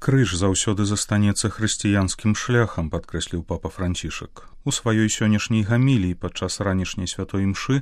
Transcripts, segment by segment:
Крыж заўсёды застанецца хрысціянскім шляхам, падкрэсліў папа Францішак. У сваёй сённяшняй гаміліі падчас ранішняй святой імшы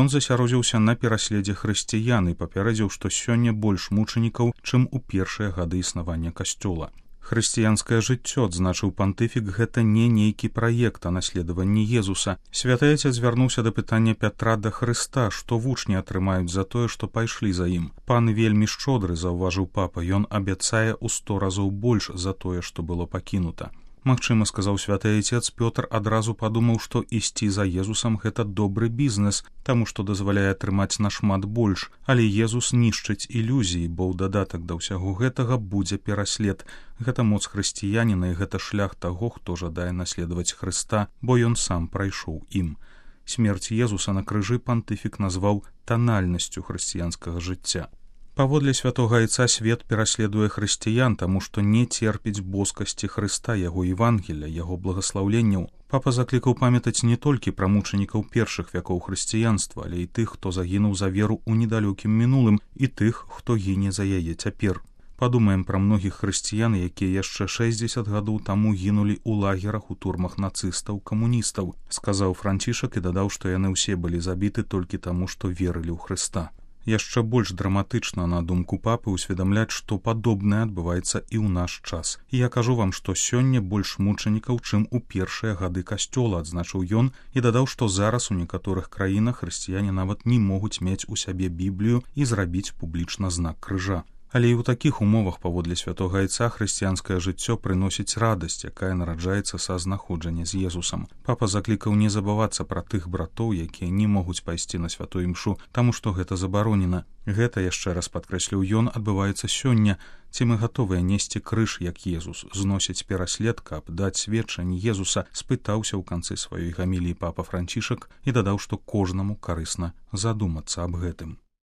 ён засяродзіўся на пераследзе хрысціян і папярэдзіў, што сёння больш мучанікаў, чым у першыя гады існавання касцёла. Хрысціянскае жыццё, адзначыў пантыфік, гэта не нейкі праект, а наследаванне Езуса. Святы Айцец звярнуўся да пытання Пятра да Хрыста, што вучні атрымаюць за тое, што пайшлі за ім. Пан вельмі шчодры, заўважыў папа, ён абяцае ў 100 разоў больш за тое, што было пакінута. Магчыма, сказаў святы Айцец, Пётр адразу падумаў, што ісці за Езусам гэта добры бізнес, таму што дазваляе атрымаць нашмат больш, але Езус нішчыць ілюзіі, бо ў дадатак да ўсяго гэтага будзе пераслед. Гэта моц хрысціяніна і гэта шлях таго, хто жадае наследаваць Хрыста, бо ён сам прайшоў ім. Смерць Езуса на крыжы пантыфік назваў танальнасцю хрысціянскага жыцця. Паводле святога Айца свет пераследуе хрысціян, таму што не церпіць боскасці Хрыста, яго Евангелля, яго благаслаўленняў. Папа заклікаў памятаць не толькі пра мучанікаў першых вякоў хрысціянства, але і тых, хто загінуў за веру ў недалёкім мінулым, і тых, хто гіне за яе цяпер. Падумаем пра многіх хрысціян, якія яшчэ 60 гадоў таму гінулі ў лагерах, у турмах нацыстаў, камуністаў, сказаў Францішак і дадаў, што яны ўсе былі забіты толькі таму, што верылі ў Хрыста. Яшчэ больш драматычна, на думку папы, усведамляць, што падобнае адбываецца і ў наш час. І я кажу вам, што сёння больш мучанікаў, чым у першыя гады касцёла, адзначыў ён і дадаў, што зараз у некаторых краінах хрысціяне нават не могуць мець у сябе Біблію і зрабіць публічна знак крыжа. Але і ў такіх умовах, паводле святога Айца, хрысціянскае жыццё прыносіць радасць, якая нараджаецца са знаходжання з Езусам. Папа заклікаў не забывацца пра тых братоў, якія не могуць пайсці на святую імшу, таму што гэта забаронена. Гэта, яшчэ раз падкрэсліў ён, адбываецца сёння. Ці мы гатовыя несці крыж, як Езус, зносіць пераслед, каб даць сведчанне Езуса, спытаўся ў канцы сваёй гаміліі папа Францішак і дадаў, што кожнаму карысна задумацца аб гэтым.